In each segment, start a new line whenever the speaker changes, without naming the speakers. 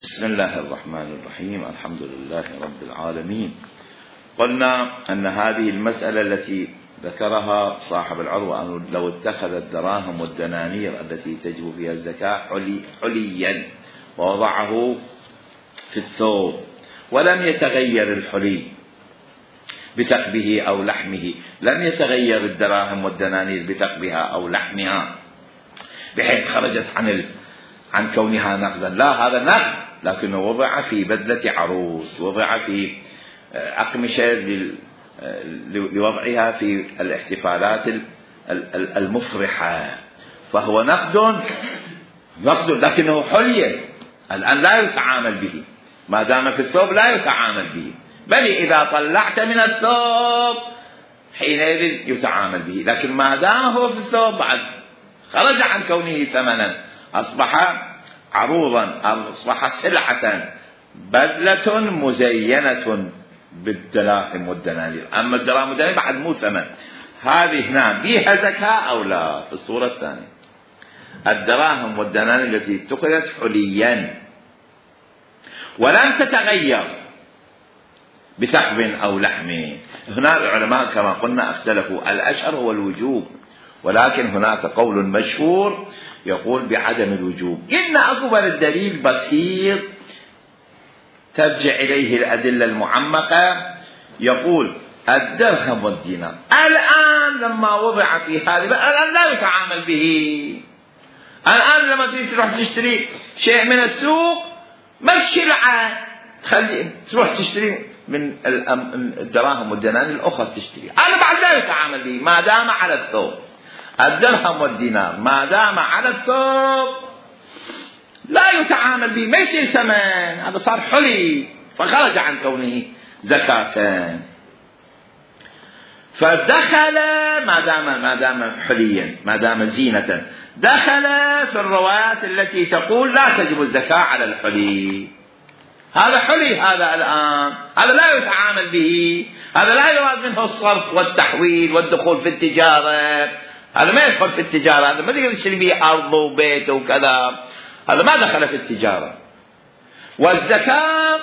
بسم الله الرحمن الرحيم. الحمد لله رب العالمين. قلنا أن هذه المسألة التي ذكرها صاحب العروة أنه لو اتخذ الدراهم والدنانير التي تجب فيها الزكاة حليا ووضعه في الثوب ولم يتغير الحلي بثقبه أو لحمه، لم يتغير الدراهم والدنانير بثقبها أو لحمها بحيث خرجت عن كونها نقدا، لا، هذا نقد لكنه وضع في بدلة عروس، وضع في أقمشة لوضعها في الاحتفالات المفرحة، فهو نقد لكنه حلي الآن لا يتعامل به، ما دام في الثوب لا يتعامل به، بل إذا طلعت من الثوب حينئذ يتعامل به، لكن ما دام هو في الثوب بعد خرج عن كونه ثمنا، أصبح عروضا، أصبح سلعة، بدلة مزينة بالدراهم والدنانير. أما الدراهم والدنانير بعد مو ثمن، هذه نعم فيها زكاة أو لا. في الصورة الثانية الدراهم والدنانير التي اتخذت حليا ولم تتغير بثقب أو لحم، هنا العلماء كما قلنا اختلفوا، الأشهر هو الوجوب، ولكن هناك قول مشهور يقول بعدم الوجوب. إن أكبر الدليل بسيط ترجع إليه الأدلة المعمقة، يقول الدرهم والدينار الآن لما وضع في هذه الآن لا يتعامل به. الآن لما تروح تشتري شيء من السوق ما الشلعة تروح تشتري من الدراهم والدنانير الأخرى تشتري، أنا بعد لا يتعامل به ما دام على الثوب. الدرهم والدينار ما دام على الثوب لا يتعامل به، ما يصير ثمن، هذا صار حلي فخرج عن كونه زكاة، فدخل ما دام حليا، ما دام زينة، دخل في الروايات التي تقول لا تجب الزكاة على الحلي. هذا حلي، هذا الآن هذا لا يتعامل به، هذا لا يراد منه الصرف والتحويل والدخول في التجارة، هذا ما يدخل في التجارة، هذا ما تقدر تشتري به أرض وبيت وكذا، هذا ما دخل في التجارة. والزكاة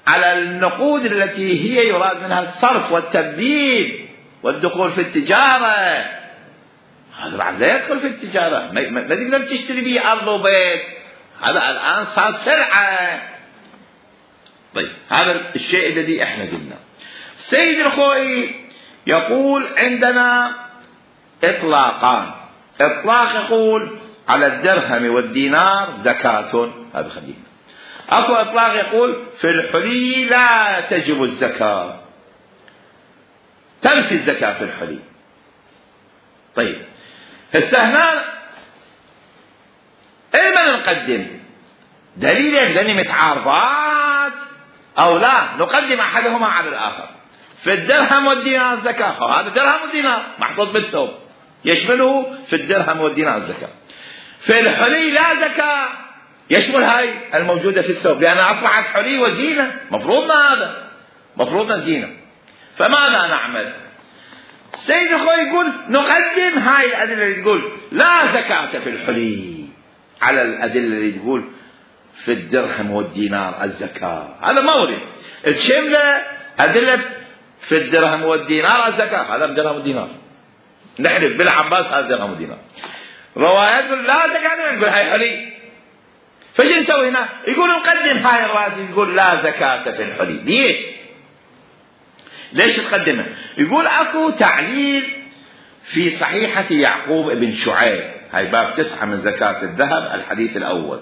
على النقود التي هي يراد منها الصرف والتبديل والدخول في التجارة، هذا بعد لا يدخل في التجارة، ما تقدر تشتري به أرض وبيت، هذا الآن صار سلعة. طيب هذا الشيء الذي احنا قلنا. السيد الخوئي يقول عندنا إطلاقان، إطلاق يقول على الدرهم والدينار زكاة، هذا خلينا. أكو إطلاق يقول في الحلي لا تجب الزكاة، تنفي الزكاة في الحلي. طيب هسه هنا إما نقدم دليل لأني متعارضات أو لا نقدم أحدهما على الآخر. في الدرهم والدينار زكاة، هذا درهم ودينار محطوط بالثوب يشمله في الدرهم والدينار زكاة. في الحلي لا زكاة، يشمل هاي الموجودة في الثوب، لأنها أصبحت حلي وزينة، مفروضنا هذا، مفروضنا زينة. فماذا نعمل؟ السيد الخوئي يقول نقدم هاي الأدلة اللي تقول لا زكاة في الحلي على الأدلة اللي تقول في الدرهم والدينار الزكاة، هذا مورد الشملة أدلة في الدرهم والدينار الزكاة، هذا الدرهم والدينار نحلف بالعباس هذا درهم ودينار. روايات لا زكاة نقول هاي حلي، فش نسوي هنا؟ يقول نقدم هاي الروايات يقول لا زكاة في الحلي. ليش تقدمها؟ يقول اكو تعليل في صحيحة يعقوب ابن شعيب، هاي باب 9 من زكاة الذهب، الحديث الأول.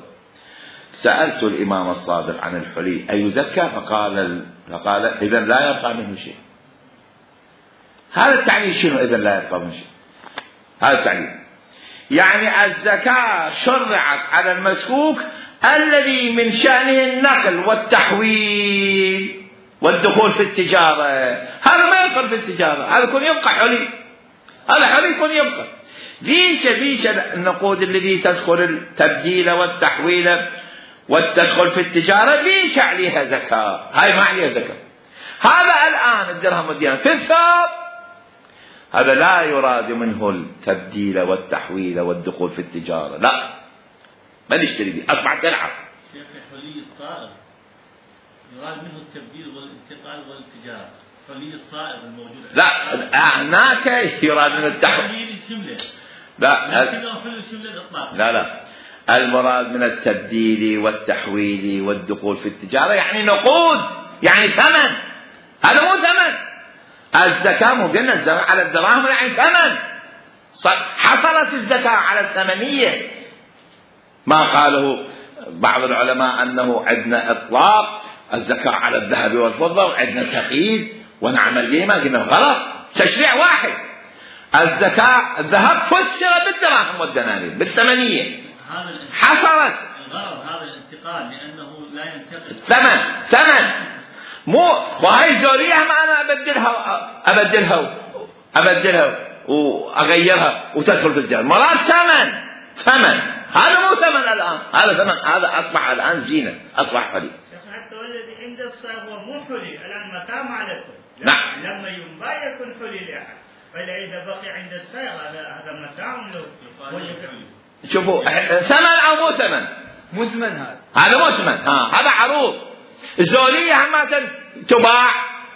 سألت الإمام الصادق عن الحلي أيزكى؟ فقال إذا لا يبقى منه شيء. هذا التعليل شنو إذا لا يبقى منه شيء؟ هذا التعليل يعني الزكاة شرعت على المسكوك الذي من شأنه النقل والتحويل والدخول في التجارة، هذا ما يدخل في التجارة، هذا يكون يبقى حلي، هذا حلي يكون يبقى. ليش النقود الذي تدخل التبديل والتحويل والتدخل في التجارة ليش عليها زكاة؟ هاي ما عليها زكاة. هذا الآن الدرهم والدينار في الثوب، هذا لا يراد منه التبديل والتحويل والدخول في التجارة، لا ما نشتري به، أصبح سلعة،
شيخ حلي الصائغ يراد منه التبديل والانتقال والتجارة. حلي الصائغ الموجود
لا هناك يراد من التحويل
الجملة.
لا
لكنه حلي الجملة الإطلاق.
لا المراد من التبديل والتحويل والدخول في التجارة يعني نقود، يعني ثمن. هذا مو ثمن. الزكاة مو قلنا الزكاة على الدراهم يعني ثمن. حصلت الزكاة على الثمنية. ما قاله بعض العلماء أنه عندنا إطلاق الزكاة على الذهب والفضة وعندنا تقييد ونعمل به، ما قلنا غلط، تشريع واحد. الزكاة الذهب فسر بالدراهم والدنانير بالثمنية. حصلت
الغرض هذا الانتقال لأنه لا ينتقل
ثمن مو. وهي الزولية ما أنا أبدلها وأغيرها وتدخل في الجنة. مراد ثمن. هذا مو ثمن الآن، هذا ثمن، هذا أصبح الآن زينة، أصبح حلي.
حتى والذي عند الصيغ هو مو حلي الآن متى معلته.
نعم.
لما ينباع يكون حلي لأحد، فإذا بقي عند الصيغ هذا متاع له.
شوفوا ثمن أو مو ثمن؟
مو ثمن
هذا مو ثمن. هذا عروض. الزولية همة تباع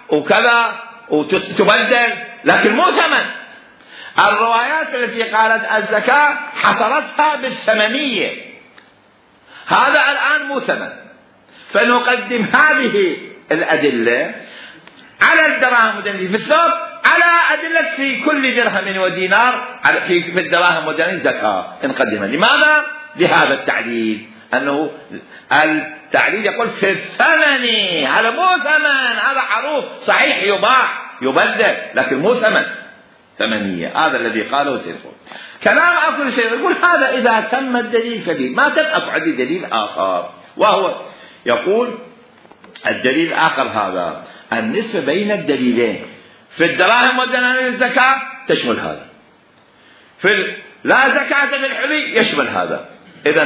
وكذا وتبدل، لكن مو ثمن. الروايات التي قالت الزكاة حصرتها بالثمنية، هذا الآن مو ثمن. فنقدم هذه الأدلة على الدراهم والدنانير في الثوب، على أدلة في كل درهم ودينار في الدراهم والدنانير زكاة نقدمها. لماذا؟ لهذا التعديل، أنه التعديل يقول في الثمن. هذا مو ثمن، هذا عروض صحيح يباع يبدل، لكن مو ثمنية. هذا الذي قاله سيدنا. كلام أقول شيء يقول هذا إذا تم الدليل كبير، ما تم أقعد دليل آخر، وهو يقول الدليل الآخر هذا النسبة بين الدليلين. في الدراهم والدنانير الزكاة تشمل هذا، في لا زكاة في الحلي يشمل هذا. إذا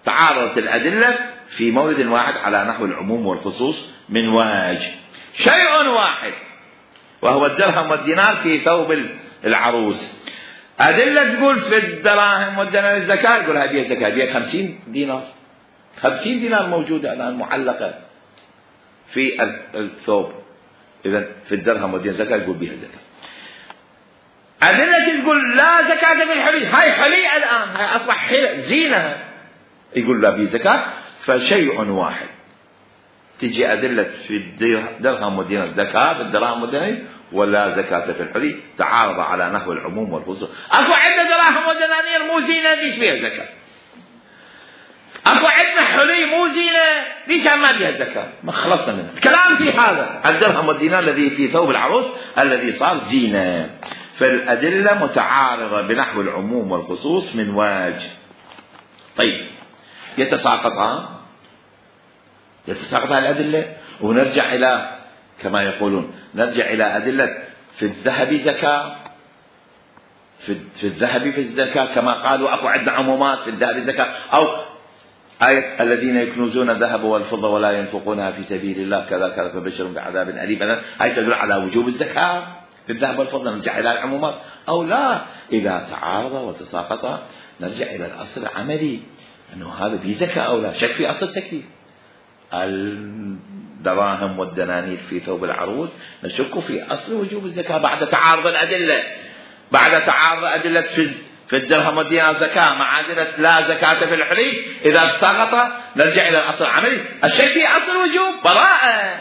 تعارضت الأدلة في مورد واحد على نحو العموم والخصوص من وجه شيء واحد، وهو الدرهم والدينار في ثوب العروس. أدلة تقول في الدراهم والدنانير الزكاة، يقول هذه الزكاة هذه 50 دينار. 50 دينار موجودة الآن معلقة في الثوب. إذا في الدرهم والدينار زكاة يقول بها زكاة. أدلة تقول لا زكاة في الحلي، هاي حلي الآن، هاي أصبح زينة، يقول لا بها زكاة. فشيء واحد. تجي أدلة في الدرهم والدينار زكاة في الدراهم والدنانير ولا زكاة في الحلي، تعارض على نحو العموم والخصوص. أكو عندنا دراهم ودنانير مو زينة، ليش فيها زكاة؟ أكو عندنا حلي مو زينة، ليش ما فيها زكاة؟ ما خلصنا منه. الكلام في هذا الدرهم والدينار الذي في ثوب العروس الذي صار زينة. فالأدلة متعارضة بنحو العموم والخصوص من وجه. طيب يتساقطان الأدلة، ونرجع إلى كما يقولون نرجع إلى أدلة في الذهب زكاة، في الذهب في الزكاة كما قالوا. أكو عندنا عمومات في الذهب زكاة، أو آية الذين يكنزون الذهب والفضة ولا ينفقونها في سبيل الله كذا كذا فبشرهم بعذاب أليم. هاي تدل على وجوب الزكاة في الذهب والفضة. نرجع إلى العمومات أو لا. إذا تعارض وتساقط نرجع إلى الأصل العملي، أنه هذا في زكاة أو لا. شك في أصل التكليف. الدراهم والدنانير في ثوب العروس نشك في أصل وجوب الزكاة بعد تعارض الأدلة، بعد تعارض أدلة في الدرهم والدينار زكاة مع أدلة لا زكاة في الحلي. إذا سقط نرجع إلى الأصل العملي، الشك في أصل الوجوب براءة.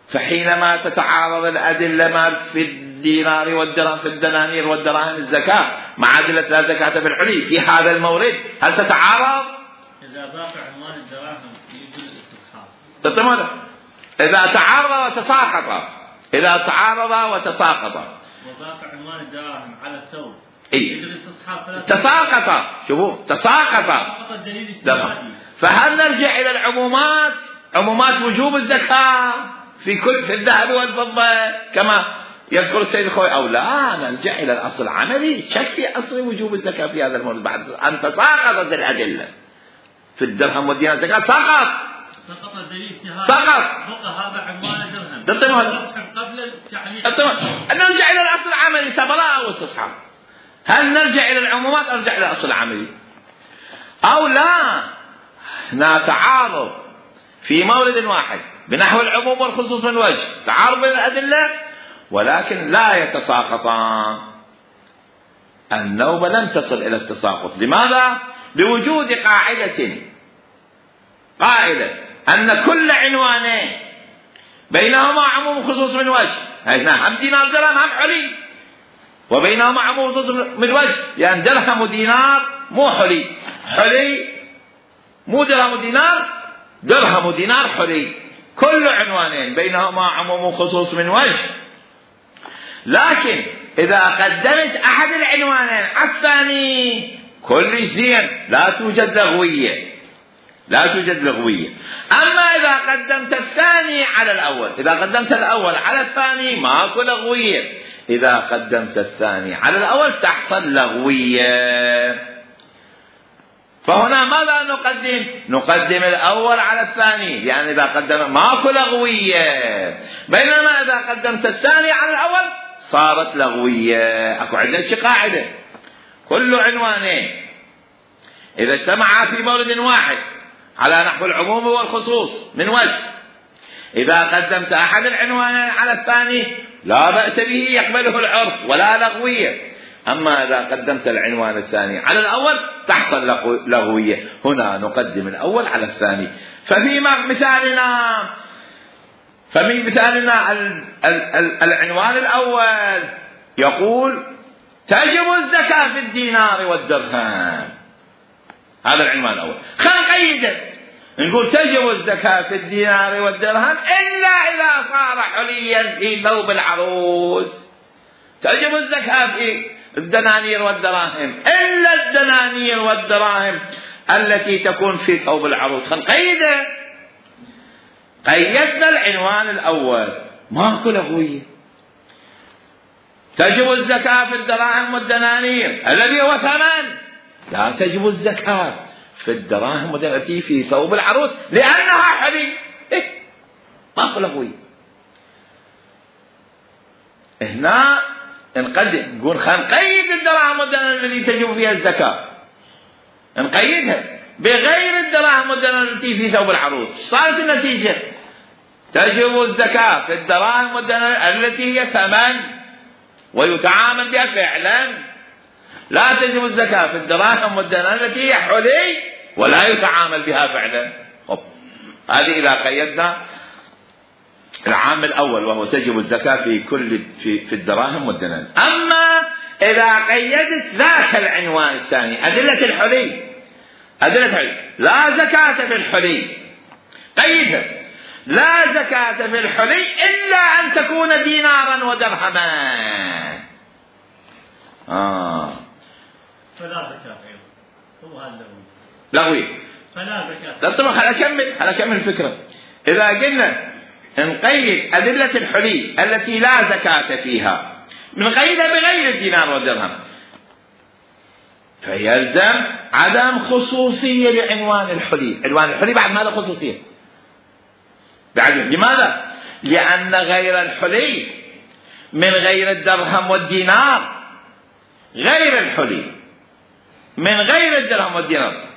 فحينما تتعارض الأدلة ما في الدينار والدرهم في الدنانير والدراهم الزكاة مع أدلة لا زكاة في الحلي في هذا المورد، هل تتعارض؟
إذا ضاق عنوان الدراهم يجوز الاستصحاب.
إذا تعارض وتساقط، إذا تعارض وتساقط
وضاق عنوان الدراهم على الثوب
يجوز
الاستصحاب.
تساقط، شوفوا تساقط. فهل نرجع إلى العمومات، عمومات وجوب الزكاة في الذهب والفضة كما يذكر السيد الخوي، أو لا نرجع إلى الأصل العملي؟ شك في أصل وجوب الزكاة في هذا المورد بعد أن تساقطت الأدلة. في الدرهم والدينار زكاة سقط
الدليل في هذا،
سقط
بقى هذا عنوان الدرهم قبل التعليق.
نرجع إلى الأصل العملي، براءة واستصحاب. هل نرجع إلى العمومات أو نرجع إلى الأصل العملي؟ أو لا، هنا تعارض في مورد واحد بنحو العموم والخصوص من وجه، تعارض بين الأدلة ولكن لا يتساقطان. النوبة لم تصل إلى التساقط. لماذا؟ بوجود قاعدة أن كل عنوانين بينهما عموم وخصوص من وجه، هنا هم دينار درهم هم حلي، وبينهما عموم وخصوص من وجه، لأن درهم ودينار مو حلي، حلي مو درهم ودينار، درهم ودينار حلي، كل عنوانين بينهما عموم وخصوص من وجه. لكن إذا قدمت أحد العنوانين على الثاني كل زين، لا توجد لغوية. أما إذا قدمت الثاني على الأول، إذا قدمت الأول على الثاني ماكو لغوية، إذا قدمت الثاني على الأول تحصل لغوية. فهنا ماذا نقدم؟ نقدم الأول على الثاني، لأن إذا قدم ماكو لغوية، بينما إذا قدمت الثاني على الأول صارت لغوية. أكو عندنا قاعدة، كل عنوانين إذا اجتمعا في مورد واحد على نحو العموم والخصوص من وجه، إذا قدمت أحد العنوانين على الثاني لا بأس به، يقبله العرف ولا لغوية. أما إذا قدمت العنوان الثاني على الأول تحصل لغوية. هنا نقدم الأول على الثاني. ففي مثالنا العنوان الأول يقول تجب الزكاة في الدينار والدرهم، هذا العنوان الأول. خلينا نقيده، نقول تجب الزكاة في الدينار والدرهم إلا إذا صار حليا في ثوب العروس. تجب الزكاة في الدنانير والدراهم إلا الدنانير والدراهم التي تكون في ثوب العروس. خلينا نقيده، قيدنا العنوان الأول ماكو لغوية. تجب الزكاة في الدراهم والدنانير الذي هو ثمن، لا تجب الزكاة في الدراهم التي في ثوب العروس لأنها حلي. ماكو لغوية. هنا نقدم، نقول خلينا نقيد الدراهم والدنانير التي تجب فيها الزكاة، نقيدها بغير الدراهم والدنانير التي في ثوب العروس. صارت النتيجة تجب الزكاة في الدراهم والدنانير التي هي ثمن ويتعامل بها فعلا، لا تجب الزكاة في الدراهم والدنانير التي هي حلي ولا يتعامل بها فعلا. هذه إذا قيدنا العامل الأول وهو تجب الزكاة في الدراهم والدنانير. أما إذا قيدت ذاك العنوان الثاني أدلة الحلي، لا زكاة في الحلي، قيدها لا زكاة في الحلي إلا أن تكون دينارا ودرهما.
فلا زكاة أيضا، هو هذا
لغوي.
فلا زكاة.
طبعا أكمل الفكرة. إذا قلنا نقيد أدلة الحلي التي لا زكاة فيها، نقيدها بغير الدينار والدرهم، فيلزم عدم خصوصية لعنوان الحلي. عنوان الحلي بعد ماذا خصوصية؟ لماذا؟ لأن غير الحلي من غير الدرهم والدينار، غير الحلي من غير الدرهم والدينار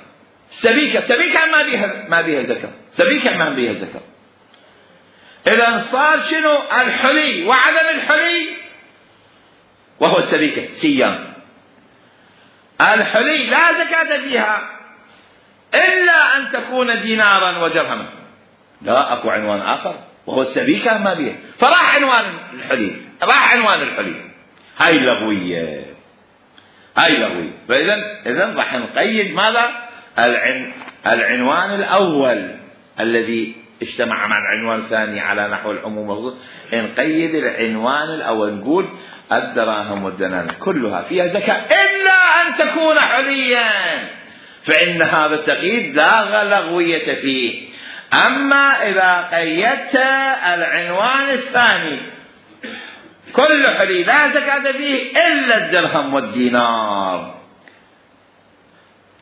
سبيكة ما بيها زكاة، سبيكة ما بيها زكاة. إذا صار شنو؟ الحلي وعدم الحلي وهو السبيكة سيان. الحلي لا زكاة فيها إلا أن تكون دينارا ودرهما، لا أكو عنوان آخر وهو السبيكة ما بيها، فراح عنوان الحلي. هاي لغوية. فإذا راح نقيد ماذا؟ العنوان الأول الذي اجتمع مع العنوان الثاني على نحو العموم والخصوص، نقيد العنوان الأول، نقول الدراهم والدنانير كلها فيها زكاة إلا أن تكون حليا، فإن هذا التقييد لا لغوية فيه. أما إذا قيدت العنوان الثاني كل حلي لا زكاة فيه إلا الدرهم والدينار،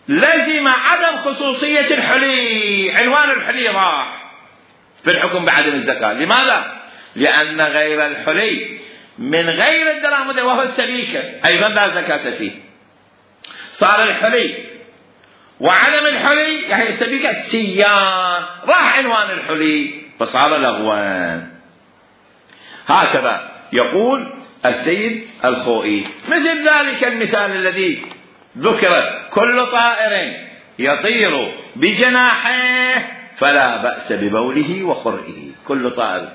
لزم عدم خصوصية الحلي. عنوان الحلي راح في الحكم بعدم الزكاة. لماذا؟ لأن غير الحلي من غير الدراهم وهو السبيكة أيضا لا زكاة فيه. صار الحلي وعدم الحلي يعني سبيكة سيان، راح عنوان الحلي فصار لغوا. هكذا يقول السيد الخوئي. مثل ذلك المثال الذي ذكر: كل طائر يطير بجناحيه فلا بأس ببوله وخرئه. كل طائر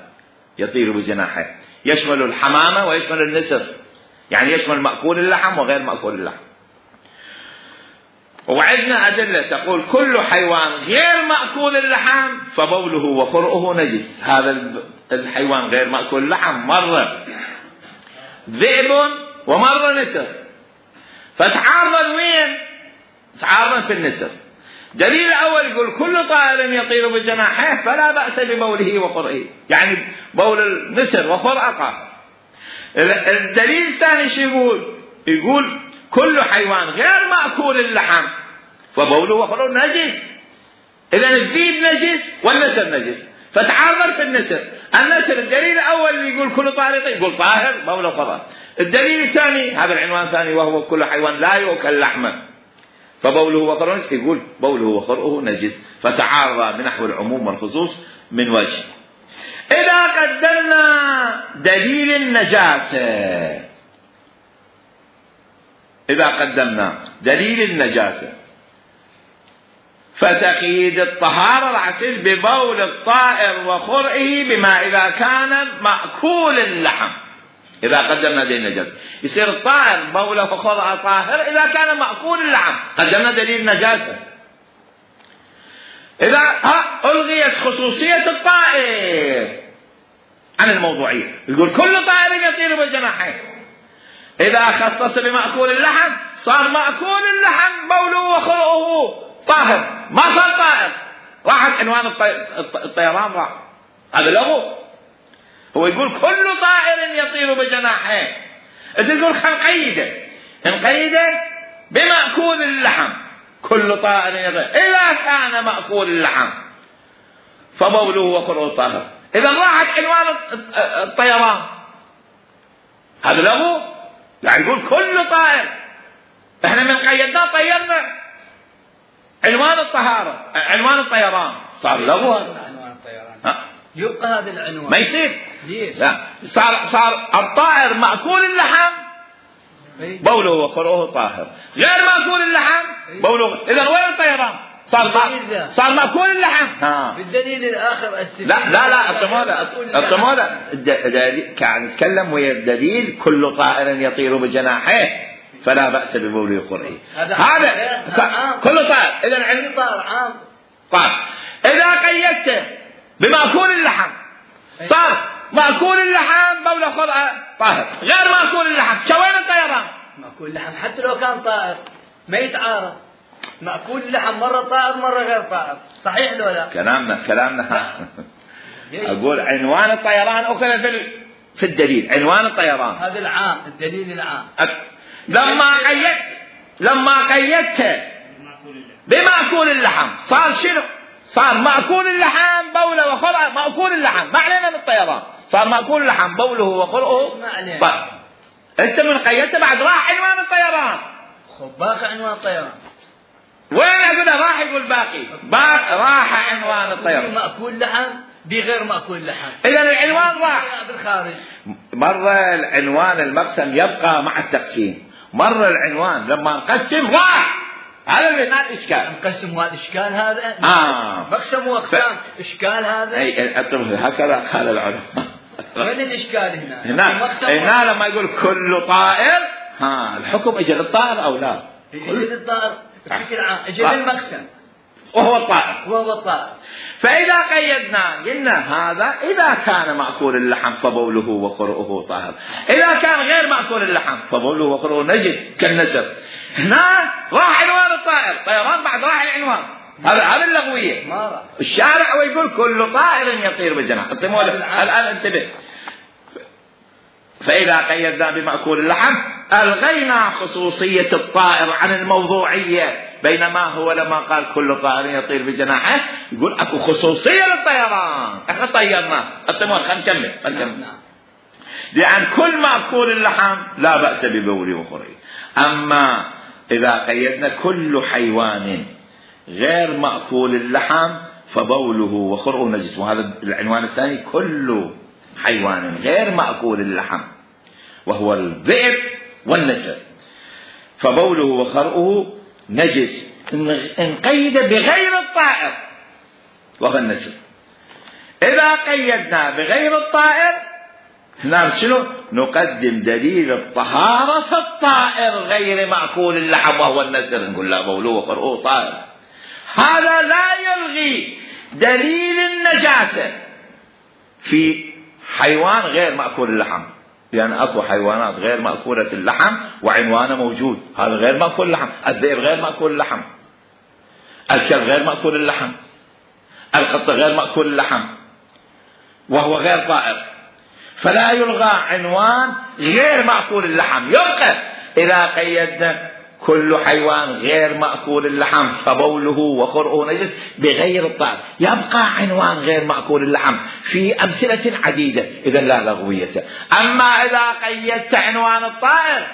يطير بجناحيه يشمل الحمامة ويشمل النسر، يعني يشمل مأكول اللحم وغير مأكول اللحم. وعندنا أدلة تقول كل حيوان غير مأكول اللحم فبوله وخرئه نجس. هذا الحيوان غير مأكول اللحم مرة ذئب ومرة نسر، فتعارض وين؟ تعارض في النسر. دليل الأول يقول كل طائر يطير بجناحيه فلا بأس ببوله وخرئه، يعني بول النسر وخرئه طاهر. الدليل الثاني شو يقول؟ يقول كل حيوان غير مأكول اللحم فبوله وخرئه نجس. إذا الذئب نجس والنسر نجس، فتعارض في النسر. النسر الدليل الأول يقول كل طائر يقول طاهر بوله وخرئه. الدليل الثاني هذا العنوان الثاني وهو كل حيوان لا يؤكل لحمه فبوله وخرئه يقول بوله وخرئه نجس، فتعارض بنحو العموم والخصوص من وجه. إذا قدمنا دليل النجاسة، إذا قدمنا دليل النجاسة فتقييد الطهارة راح يصير ببول الطائر وخرئه بما إذا كان مأكول اللحم. إذا قدمنا دليل النجاسة يصير الطائر بوله وخرئه طاهر إذا كان مأكول اللحم، قدمنا دليل النجاسة. إذا ألغيت خصوصية الطائر عن الموضوعية، يقول كل طائر يطير بالجناحين، إذا خصص بمأكول اللحم صار مأكول اللحم بوله وخرئه طاهر، ما صار طائر، راحت عنوان الطيران راح. هذا لغو. هو يقول كل طائر يطير بجناحيه، تقول نقيده، نقيده بمأكول اللحم. كل طائر يطير إذا كان مأكول اللحم فبوله وخرئه طاهر. إذا راحت عنوان الطيران، هذا لغو. يعني يقول كل طائر، احنا من قيدناه طيرنا عنوان الطهارة، عنوان الطيران صار لغو.
عنوان الطيران يبقى هذا العنوان
ما يصير.
ليش؟
لا، صار الطائر مأكول اللحم بوله وخرئه طاهر، غير مأكول اللحم بوله. إذا وين الطيران؟ صار مأكول اللحم.
بالدليل الآخر
لا الطموذة كان يتكلم ويا الدليل كل طائر يطير بجناحيه فلا بأس ببوله وخرئه. هذا كل طائر. إذا عندي
طائر عام.
طيب إذا قيدته بمأكول اللحم صار مأكول اللحم بوله وخرئه طاهر، غير مأكول اللحم شوين الطيران؟
مأكول اللحم حتى لو كان طائر ما يتعارض. مأكول اللحم مرة طائر مرة غير طائر، صحيح لو لا؟
كلامنا أقول عنوان الطيران أخذ في الدليل، عنوان الطيران
هذا العام، الدليل العام.
لما قيدته بمأكول اللحم صار شنو؟ صار مأكول اللحم بوله وخرئه مأكول اللحم، ما علينا من الطيران، صار مأكول اللحم بوله وخرئه. أنت من قيدته بعد راح عنوان الطيران.
باقي عنوان الطيران
وين أقول راح يقول باقي راح عنوان الطيران
مأكول لحم بغير مأكول لحم.
إذا العنوان راح
بالخارج.
مرة العنوان المقسم يبقى مع التقسيم، مرة العنوان لما نقسم راح. هذا اللي هنا الإشكال.
مقسم والإشكال هذا. مقسم وأقسام إشكال هذا.
هكذا قال العلماء.
وين الإشكال
هنا لما يقول كل طائر الحكم إجل الطائر أو لا؟
إجل الطائر بشكل عام، إجل المقسم
وهو الطائر.
فإذا
قيدنا قلنا هذا إذا كان مأكول اللحم فبوله وخرئه طاهر، إذا كان غير مأكول اللحم فبوله وخرئه نجس كالنسر. هنا راح عنوان الطائر، طيران بعد راح العنوان. هذا اللغوية. الشارع ويقول كل طائر يطير بجناح. الآن انتبه. فإذا قيدنا بمأكول اللحم ألغينا خصوصية الطائر عن الموضوعية، بينما هو لما قال كل طائر يطير بجناحه يقول أكو خصوصية للطيران. احنا طيرنا خلينا نكمل. لأن كل مأكول اللحم لا بأس ببوله وخرئه. أما إذا قيدنا كل حيوان غير مأكول اللحم فبوله وخرقه نجس. وهذا العنوان الثاني: كل حيوان غير مأكول اللحم وهو الذئب والنسر فبوله وخرقه نجس، إن قيد بغير الطائر وهو النسر. إذا قيدنا بغير الطائر هنا شنو؟ نقدم دليل الطهارة في الطائر غير مأكول اللحم وهو النسر، نقول لا بوله وخرقه طائر. هذا لا يلغي دليل النجاسة في حيوان غير مأكول اللحم، لأن أكو حيوانات غير مأكولة اللحم وعنوانه موجود، هذا غير مأكول اللحم. الذئب غير مأكول اللحم، الكلب غير مأكول اللحم، القط غير مأكول اللحم وهو غير طائر، فلا يلغى عنوان غير مأكول اللحم. يبقى إذا قيدنا كل حيوان غير مأكول اللحم فبوله وخرقه نجس بغير الطائر، يبقى عنوان غير مأكول اللحم في أمثلة عديدة، إذا لا لغوية. أما إذا قيدت عنوان الطائر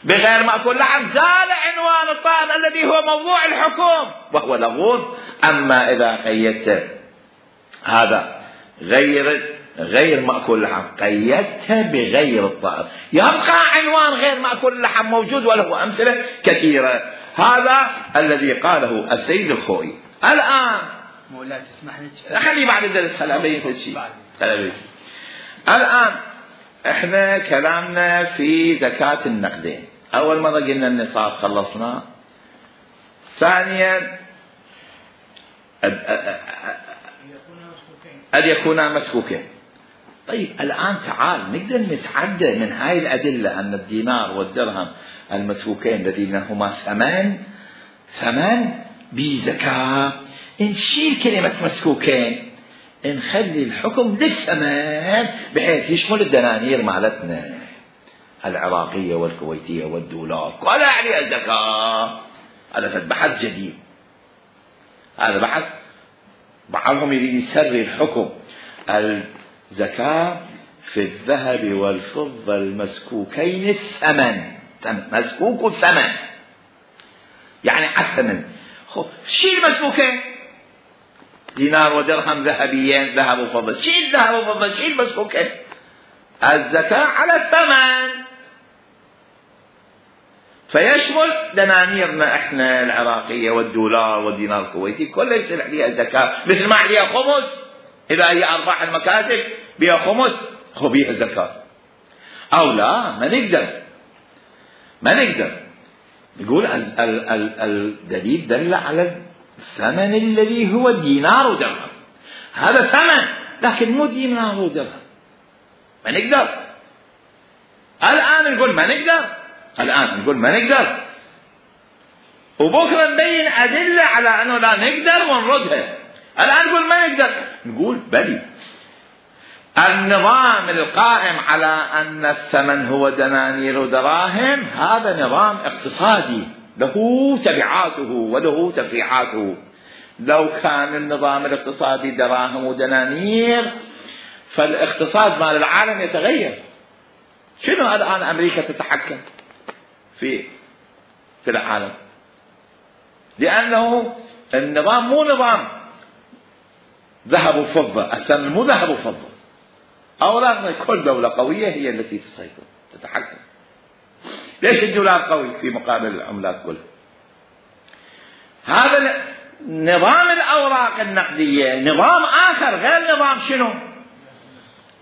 بغير مأكول اللحم زال عنوان الطائر الذي هو موضوع الحكم وهو لغو. أما إذا قيدت هذا غير مأكول اللحم قيدت بغير الطائر، يبقى عنوان غير مأكول اللحم موجود وله أمثلة كثيرة. هذا الذي قاله السيد الخوئي. الآن
مولاي تسمح لي
خلي بعد الدرس خلابين في الشيء. الآن احنا كلامنا في زكاة النقدين. أول مرة قلنا النصاب خلصنا، ثانيا أن يكونا مسكوكين. طيب الآن تعال نقدر نتعدى من هاي الأدلة أن الدينار والدرهم المسكوكين الذين هما ثمن بزكاة، نشيل كلمة مسكوكين، نخلي الحكم للثمن بحيث يشمل الدنانير مالتنا العراقية والكويتية والدولار ولا عليها الزكاة. هذا بحث جديد، هذا بحث بعضهم يريد يسري الحكم الزكاة في الذهب والفضة المسكوكين الثمن، مسكوك الثمن يعني الثمن. شيل مسكوكين دينار ودرهم ذهبيين، ذهب وفضة، شيل ذهب وفضة، شيل مسكوكين. الزكاة على الثمن، فيشمل دنانيرنا احنا العراقية والدولار والدينار الكويتي كلها يصير عليها زكاة، مثل ما عليها خمس. إذا هي أرباح المكاسب بها خمس هو بها زكاة. أو لا، ما نقدر نقول الدليل دل على الثمن الذي هو دينار ودرهم، هذا ثمن لكن مو دينار ودرهم. ما نقدر الآن نقول ما نقدر، وبكرة نبين أدلة على أنه لا نقدر ونردها. الآن نقول ما نقدر، نقول بلي النظام القائم على أن الثمن هو دنانير ودراهم هذا نظام اقتصادي له تبعاته وله تفريعاته. لو كان النظام الاقتصادي دراهم ودنانير فالاقتصاد مال العالم يتغير. شنو الآن أمريكا تتحكم في العالم؟ لأنه النظام مو نظام ذهب وفضة، الثمن مو ذهب وفضة. أولا كل دولة قوية هي التي تسيطر تتحكم. ليش الدولار قوي في مقابل العملات كلها؟ هذا نظام الأوراق النقدية نظام آخر غير نظام شنو؟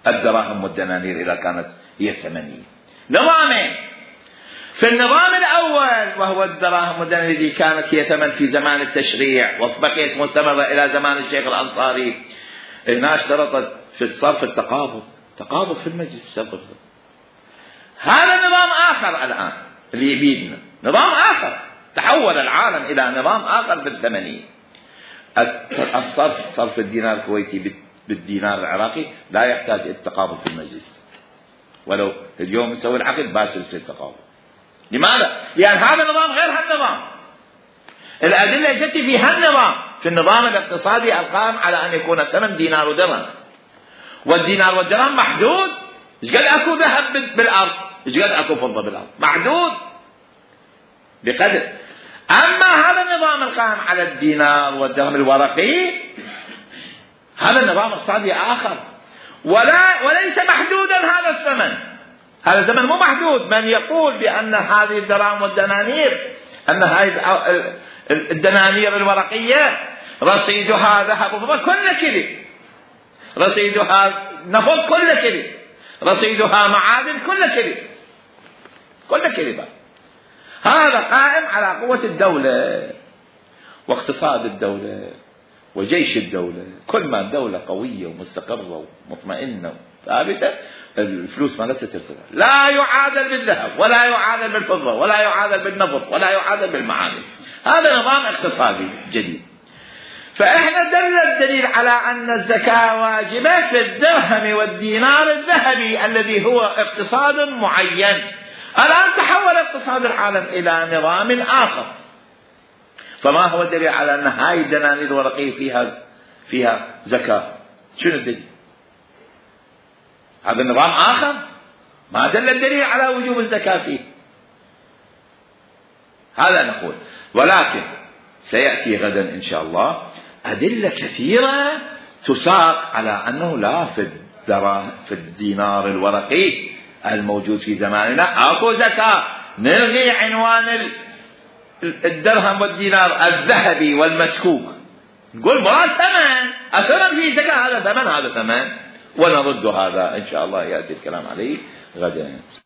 الدراهم والدنانير إذا كانت هي ثمنية. نظامين، في النظام الأول وهو الدراهم والدنانير التي كانت هي ثمن في زمان التشريع وبقيت مستمرة إلى زمان الشيخ الأنصاري. هنا اشترطت في الصرف تقابض في المجلس. هذا نظام آخر الآن اللي يبيدنا، نظام آخر. تحول العالم إلى نظام آخر بالثمنية. صرف الدينار الكويتي بالدينار العراقي لا يحتاج التقابض في المجلس، ولو اليوم نسوي العقد باشر في التقابض. لماذا؟ لأن هذا النظام غير هالنظام. الأدلة جت في هالنظام، في النظام الاقتصادي القائم على أن يكون الثمن دينار ودرهم، والدينار والدرهم محدود. إيش قد أكو ذهب بالأرض، إيش قد أكو فضة بالأرض، محدود بقدر. أما هذا النظام القائم على الدينار والدرهم الورقي هذا النظام اقتصادي آخر، وليس محدودا هذا الثمن. هذا الزمن مو محدود. من يقول بأن هذه الدراهم والدنانير، أن هذه الدنانير الورقية رصيدها ذهب وفضة كل كلي، رصيدها نفط كل كلي، رصيدها معادن كل كلي، هذا قائم على قوة الدولة واقتصاد الدولة وجيش الدولة. كل ما الدولة قوية ومستقرة ومطمئنة ثابتة الفلوس ما ترتفع. لا يعادل بالذهب ولا يعادل بالفضة ولا يعادل بالنفط ولا يعادل بالمعادن. هذا نظام اقتصادي جديد. فإحنا دل الدليل على أن الزكاة واجبة في الدرهم والدينار الذهبي الذي هو اقتصاد معين. الآن تحول اقتصاد العالم إلى نظام آخر. فما هو الدليل على أن هاي الدنانير الورقية فيها زكاة؟ شنو الدليل؟ هذا النظام آخر ما دل الدليل على وجوب الزكاة فيه. هذا نقول. ولكن سيأتي غدا إن شاء الله أدلة كثيرة تساق على أنه لا في الدينار الورقي الموجود في زماننا أكو زكاة. نلغي عنوان الدرهم والدينار الذهبي والمسكوك، نقول مراد ثمن، أثرا في زكاة، هذا ثمن ونرد هذا إن شاء الله يأتي الكلام عليه غدا.